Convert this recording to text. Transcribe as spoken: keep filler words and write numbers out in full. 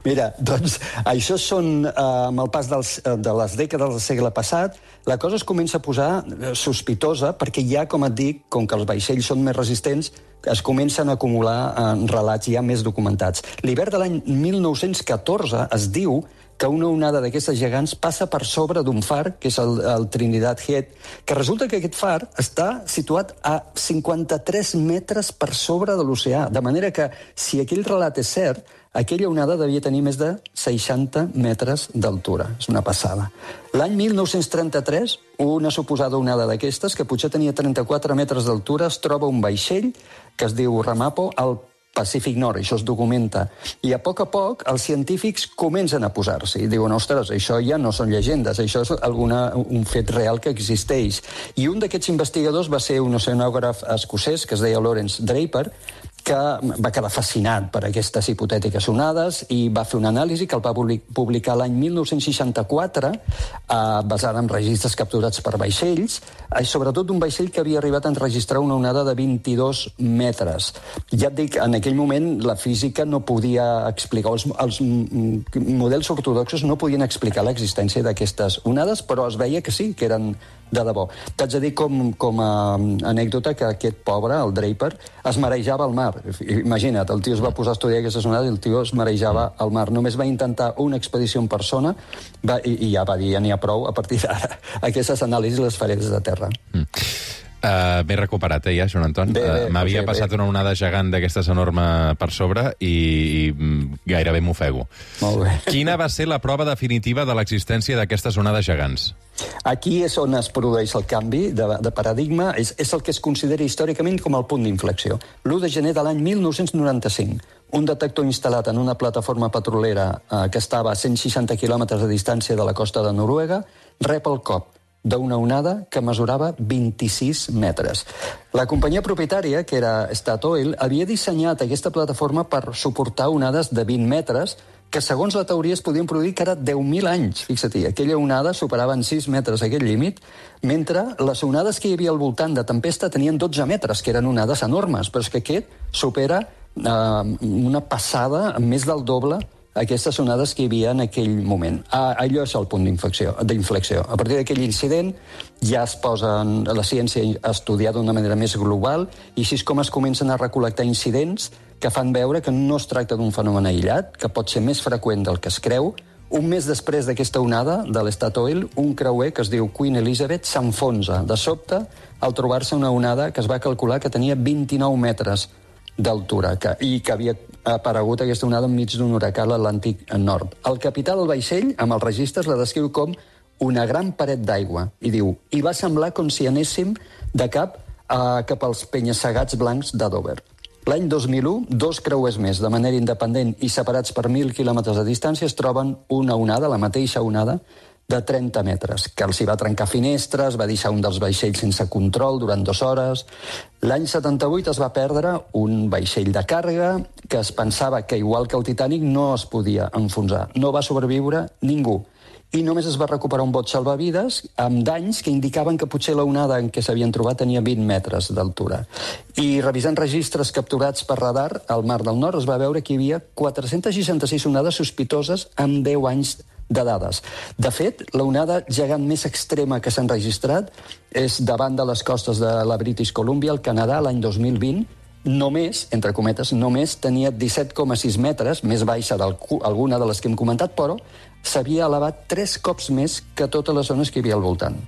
Mira, doncs això són, eh, amb el pas dels, de les dècades del segle passat, la cosa es comença a posar sospitosa perquè ja, com et dic, com que els vaixells són més resistents, es comencen a acumular en relats ja més documentats. L'hivern de l'any mil nou-cents catorze es diu que una onada d'aquestes gegants passa per sobre d'un far, que és el, el Trinidad Head, que resulta que aquest far està situat a cinquanta-tres metres per sobre de l'oceà, de manera que, si aquell relat és cert, aquella onada devia tenir més de seixanta metres d'altura. És una passada. L'any mil nou-cents trenta-tres, una suposada onada d'aquestes, que potser tenia trenta-quatre metres d'altura, es troba un vaixell que es diu Ramapo al Pacífic Nord, això es documenta. I a poc a poc els científics comencen a posar-s'hi i diuen, ostres, això ja no són llegendes, això és alguna, un fet real que existeix. I un d'aquests investigadors va ser un oceanògraf escocès que es deia Lawrence Draper, que va quedar fascinat per aquestes hipotètiques onades i va fer una anàlisi que el va publicar l'any mil nou-cents seixanta-quatre, eh, basada en registres capturats per vaixells, i sobretot un vaixell que havia arribat a enregistrar una onada de vint-i-dos metres. Ja et dic, en aquell moment la física no podia explicar, els, els models ortodoxos no podien explicar l'existència d'aquestes onades, però es veia que sí, que eren de debò. T'haig de dir com, com a anècdota que aquest pobre, el Draper, es marejava al mar. Imagina't, el tio es va posar a estudiar aquestes onades i el tio es marejava al mar. Només va intentar una expedició en persona va, i, i ja va dir, ja n'hi ha prou, a partir d'ara aquestes anàlisis les faré des de terra. Mm. Uh, M'he recuperat, eh, ja, Joan Anton. Uh, M'havia sí, passat bé. una onada gegant d'aquestes enorme per sobre i, i gairebé m'ofego. Molt bé. Quina va ser la prova definitiva de l'existència d'aquestes onades gegants? Aquí és on es produeix el canvi de, de paradigma, és, és el que es considera històricament com el punt d'inflexió. l'u de gener de l'any mil nou-cents noranta-cinc, un detector instal·lat en una plataforma petrolera eh, que estava a cent seixanta quilòmetres de distància de la costa de Noruega, rep el cop d'una onada que mesurava vint-i-sis metres. La companyia propietària, que era Statoil, havia dissenyat aquesta plataforma per suportar onades de vint metres que, segons la teoria, es podien produir cada deu mil anys. Fixa't, aquella onada superava en sis metres aquest límit, mentre les onades que hi havia al voltant de tempesta tenien dotze metres, que eren onades enormes, però és que aquest supera eh, una passada més del doble aquestes onades que hi havia en aquell moment. Ah, allò és el punt d'inflexió. A partir d'aquell incident ja es posa la ciència a estudiar d'una manera més global i així és com es comencen a recol·lectar incidents que fan veure que no es tracta d'un fenomen aïllat, que pot ser més freqüent del que es creu. Un mes després d'aquesta onada de l'Statoil, un creuer que es diu Queen Elizabeth s'enfonsa de sobte al trobar-se una onada que es va calcular que tenia vint-i-nou metres d'altura que, i que havia aparegut aquesta onada enmig d'un huracà a l'Atlàntic Nord. El capità del vaixell, amb els registres, la descriu com una gran paret d'aigua i diu, i va semblar com si anéssim de cap a, cap als penya-segats blancs de Dover. L'any dos mil u, dos creuers més, de manera independent i separats per mil quilòmetres de distància, es troben una onada, la mateixa onada, de trenta metres, que els hi va trencar finestres, va deixar un dels vaixells sense control durant dues hores. L'any setanta-vuit es va perdre un vaixell de càrrega que es pensava que, igual que el Titanic, no es podia enfonsar. No va sobreviure ningú. I només es va recuperar un bot salvavides amb danys que indicaven que potser la onada en què s'havien trobat tenia vint metres d'altura. I revisant registres capturats per radar al Mar del Nord es va veure que hi havia quatre-centes seixanta-sis onades sospitoses amb deu anys de dades. De fet, la onada gegant més extrema que s'ha enregistrat és davant de les costes de la British Columbia, al Canadà, l'any dos mil vint. Només, entre cometes, només tenia disset coma sis metres, més baixa d'alguna de les que hem comentat, però s'havia elevat tres cops més que totes les zones que hi havia al voltant.